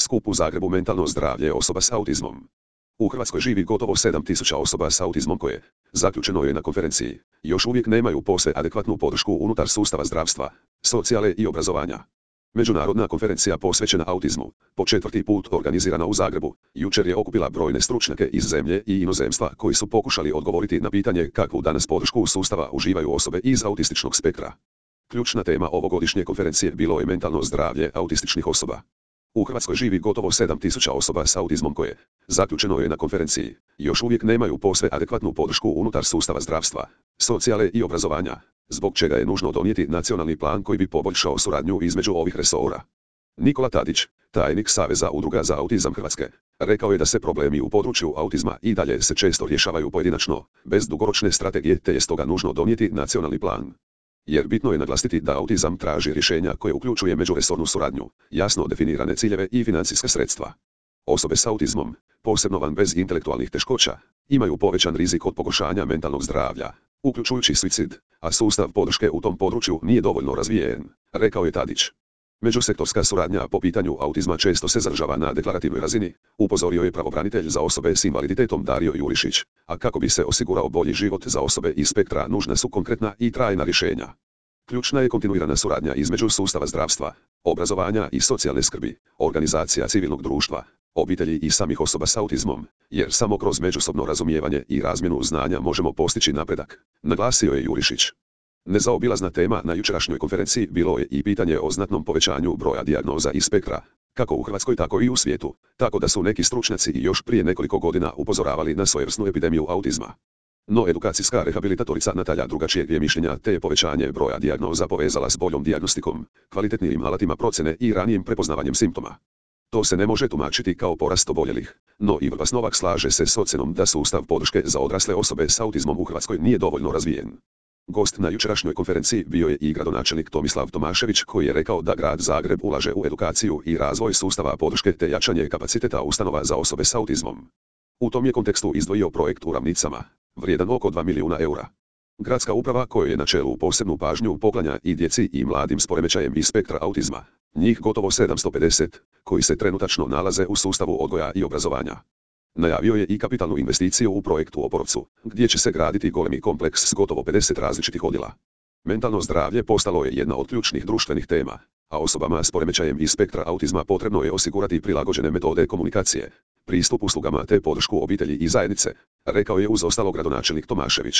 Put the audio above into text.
skup u Zagrebu mentalno zdravlje osoba s autizmom. U Hrvatskoj živi gotovo 7.000 osoba s autizmom koje, zaključeno je na konferenciji, još uvijek nemaju posve adekvatnu podršku unutar sustava zdravstva, socijale i obrazovanja. Međunarodna konferencija posvećena autizmu, po 4. put organizirana u Zagrebu, jučer je okupila brojne stručnjake iz zemlje i inozemstva koji su pokušali odgovoriti na pitanje kakvu danas podršku sustava uživaju osobe iz autističnog spektra. Ključna tema ovogodišnje konferencije bilo je mentalno zdravlje autističnih osoba. U Hrvatskoj živi gotovo 7.000 osoba s autizmom koje, zaključeno je na konferenciji, još uvijek nemaju posve adekvatnu podršku unutar sustava zdravstva, socijale i obrazovanja, zbog čega je nužno donijeti nacionalni plan koji bi poboljšao suradnju između ovih resora. Nikola Tadić, tajnik Saveza udruga za autizam Hrvatske, rekao je da se problemi u području autizma i dalje se često rješavaju pojedinačno, bez dugoročne strategije, te je stoga nužno donijeti nacionalni plan. Jer bitno je naglasiti da autizam traži rješenja koje uključuje međuresornu suradnju, jasno definirane ciljeve i financijska sredstva. Osobe s autizmom, posebno van bez intelektualnih teškoća, imaju povećan rizik od pogoršanja mentalnog zdravlja, uključujući suicid, a sustav podrške u tom području nije dovoljno razvijen, rekao je Tadić. Međusektorska suradnja po pitanju autizma često se zadržava na deklarativnoj razini, upozorio je pravobranitelj za osobe s invaliditetom Dario Jurišić, a kako bi se osigurao bolji život za osobe iz spektra nužna su konkretna i trajna rješenja. Ključna je kontinuirana suradnja između sustava zdravstva, obrazovanja i socijalne skrbi, organizacija civilnog društva, obitelji i samih osoba s autizmom, jer samo kroz međusobno razumijevanje i razmjenu znanja možemo postići napredak, naglasio je Jurišić. Nezaobilazna tema na jučerašnjoj konferenciji bilo je i pitanje o znatnom povećanju broja dijagnoza iz spektra, kako u Hrvatskoj tako i u svijetu, tako da su neki stručnjaci još prije nekoliko godina upozoravali na svojevrsnu epidemiju autizma. No edukacijska rehabilitatorica Natalja drugačijeg je mišljenja te je povećanje broja dijagnoza povezala s boljom dijagnostikom, kvalitetnijim alatima procjene i ranijim prepoznavanjem simptoma. To se ne može tumačiti kao porast oboljelih, no Ivo Novak slaže se s ocjenom da sustav podrške za odrasle osobe s autizmom u Hrvatskoj nije dovoljno razvijen. Gost na jučerašnjoj konferenciji bio je i gradonačelnik Tomislav Tomašević koji je rekao da grad Zagreb ulaže u edukaciju i razvoj sustava podrške te jačanje kapaciteta ustanova za osobe s autizmom. U tom je kontekstu izdvojio projekt u Ravnicama, vrijedan oko 2 milijuna eura. Gradska uprava kojoj je na čelu posebnu pažnju poklanja i djeci i mladim s poremećajem iz spektra autizma, njih gotovo 750, koji se trenutačno nalaze u sustavu odgoja i obrazovanja. Najavio je i kapitalnu investiciju u projektu u Oporovcu, gdje će se graditi golemi kompleks s gotovo 50 različitih odjela. Mentalno zdravlje postalo je jedna od ključnih društvenih tema, a osobama s poremećajem iz spektra autizma potrebno je osigurati prilagođene metode komunikacije, pristup uslugama te podršku obitelji i zajednice, rekao je uz ostalo gradonačelnik Tomašević.